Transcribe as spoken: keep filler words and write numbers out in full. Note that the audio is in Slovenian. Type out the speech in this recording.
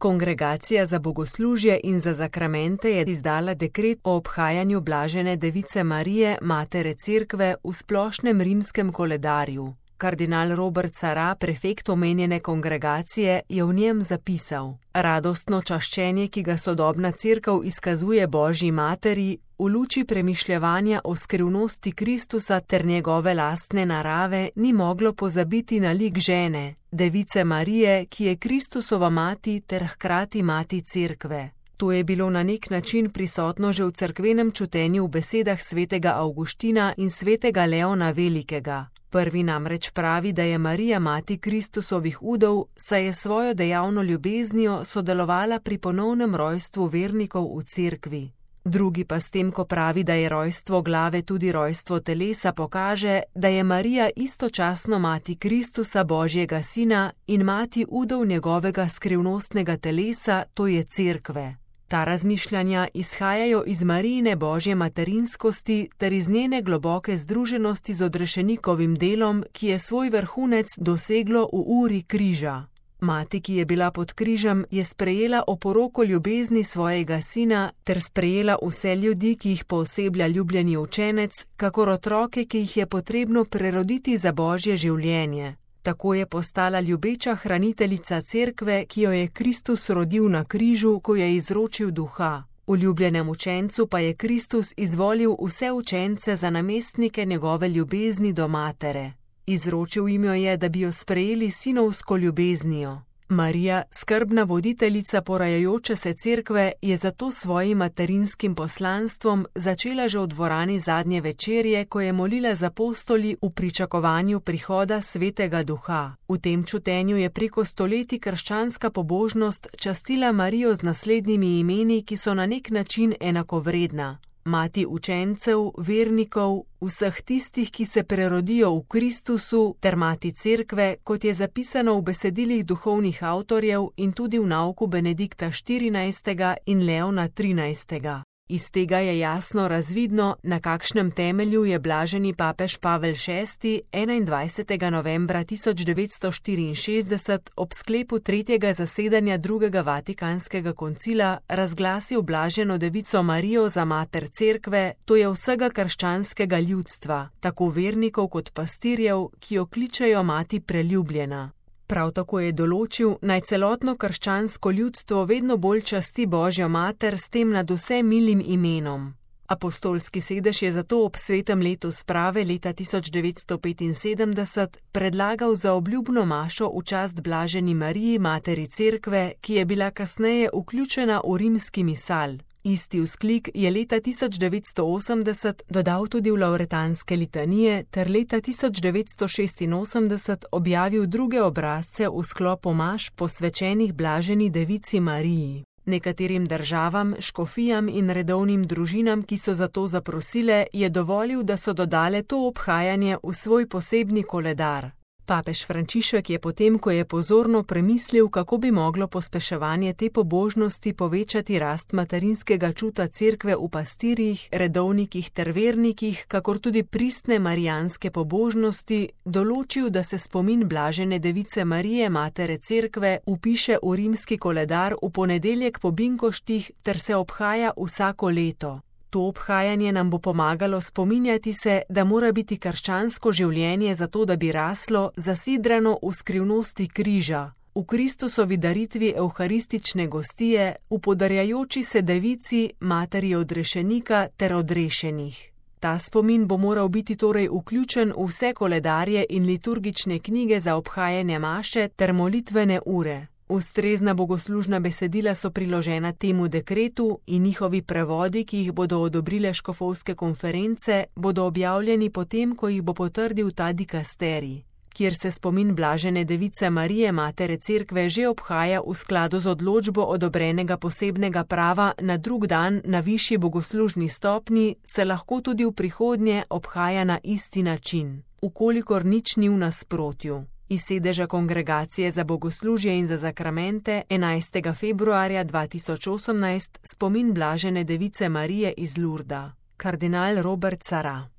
Kongregacija za bogoslužje in za zakramente je izdala dekret o obhajanju blažene device Marije, matere Cerkve, v splošnem rimskem koledarju. Kardinal Robert Sarah, prefekt omenjene kongregacije, je v njem zapisal: radostno čaščenje, ki ga sodobna Cerkev izkazuje Božji materi, v luči premišljevanja o skrivnosti Kristusa ter njegove lastne narave, ni moglo pozabiti na lik žene, device Marije, ki je Kristusova mati ter hkrati mati Cerkve. To je bilo na nek način prisotno že v cerkvenem čutenju v besedah svetega Avguština in svetega Leona Velikega. Prvi namreč pravi, da je Marija mati Kristusovih udov, saj je svojo dejavno ljubeznijo sodelovala pri ponovnem rojstvu vernikov v Cerkvi. Drugi pa s tem, ko pravi, da je rojstvo glave tudi rojstvo telesa, pokaže, da je Marija istočasno mati Kristusa, Božjega sina, in mati udov njegovega skrivnostnega telesa, to je Cerkve. Ta razmišljanja izhajajo iz Marijine božje materinskosti ter iz njene globoke združenosti z odrešenikovim delom, ki je svoj vrhunec doseglo v uri križa. Mati, ki je bila pod križem, je sprejela oporoko ljubezni svojega sina ter sprejela vse ljudi, ki jih pooseblja ljubljeni učenec, kakor otroke, ki jih je potrebno preroditi za božje življenje. Tako je postala ljubeča hraniteljica Cerkve, ki jo je Kristus rodil na križu, ko je izročil duha. V ljubljenem učencu pa je Kristus izvolil vse učence za namestnike njegove ljubezni do matere. Izročil jim jo je, da bi jo sprejeli sinovsko ljubeznijo. Marija, skrbna voditeljica porajajoče se Cerkve, je zato svojim materinskim poslanstvom začela že v dvorani zadnje večerje, ko je molila z apostoli v pričakovanju prihoda Svetega Duha. V tem čutenju je preko stoletij krščanska pobožnost častila Marijo z naslednjimi imeni, ki so na nek način enakovredna: mati učencev, vernikov, vseh tistih, ki se prerodijo v Kristusu, ter mati Cerkve, kot je zapisano v besedilih duhovnih avtorjev in tudi v nauku Benedikta štirinajstega in Leona trinajstega. Iz tega je jasno razvidno, na kakšnem temelju je blaženi papež Pavel šesti enaindvajsetega novembra tisoč devetsto štiriinšestdeset ob sklepu tretjega zasedanja drugega Vatikanskega koncila razglasil blaženo devico Marijo za mater Cerkve, to je vsega krščanskega ljudstva, tako vernikov kot pastirjev, ki jo kličejo mati preljubljena. Prav tako je določil, naj celotno krščansko ljudstvo vedno bolj časti Božjo mater s tem nadvse milim imenom. Apostolski sedež je zato ob svetem letu sprave leta tisoč devetsto petinsedemdeset predlagal za obljubno mašo v čast blaženi Mariji, materi Cerkve, ki je bila kasneje vključena v rimski misal. Isti vzklik je leta tisoč devetsto osemdeset dodal tudi v lavretanske litanije ter leta tisoč devetsto šestinosemdeset objavil druge obrazce v sklopu maš posvečenih blaženi devici Mariji. Nekaterim državam, škofijam in redovnim družinam, ki so za to zaprosile, je dovolil, da so dodale to obhajanje v svoj posebni koledar. Papež Frančišek je potem, ko je pozorno premislil, kako bi moglo pospeševanje te pobožnosti povečati rast materinskega čuta Cerkve v pastirjih, redovnikih ter vernikih, kakor tudi pristne marijanske pobožnosti, določil, da se spomin blažene device Marije, matere Cerkve, vpiše v rimski koledar v ponedeljek po binkoštih ter se obhaja vsako leto. To obhajanje nam bo pomagalo spominjati se, da mora biti krščansko življenje zato, da bi raslo, zasidrano v skrivnosti križa, v Kristusovi daritvi evharistične gostije, v podarjajoči se devici, materi odrešenika ter odrešenih. Ta spomin bo moral biti torej vključen v vse koledarje in liturgične knjige za obhajanje maše ter molitvene ure. Ustrezna bogoslužna besedila so priložena temu dekretu in njihovi prevodi, ki jih bodo odobrile škofovske konference, bodo objavljeni potem, ko jih bo potrdil ta dikasterij, kjer se spomin blažene device Marije, matere Cerkve, že obhaja v skladu z odločbo odobrenega posebnega prava na drug dan na višji bogoslužni stopnji, se lahko tudi v prihodnje obhaja na isti način, ukolikor nič ni v nasprotju. Iz sedeža Kongregacije za bogoslužje in za zakramente enajstega februarja dva tisoč osemnajst spomin blažene device Marije iz Lurda. Kardinal Robert Sarah.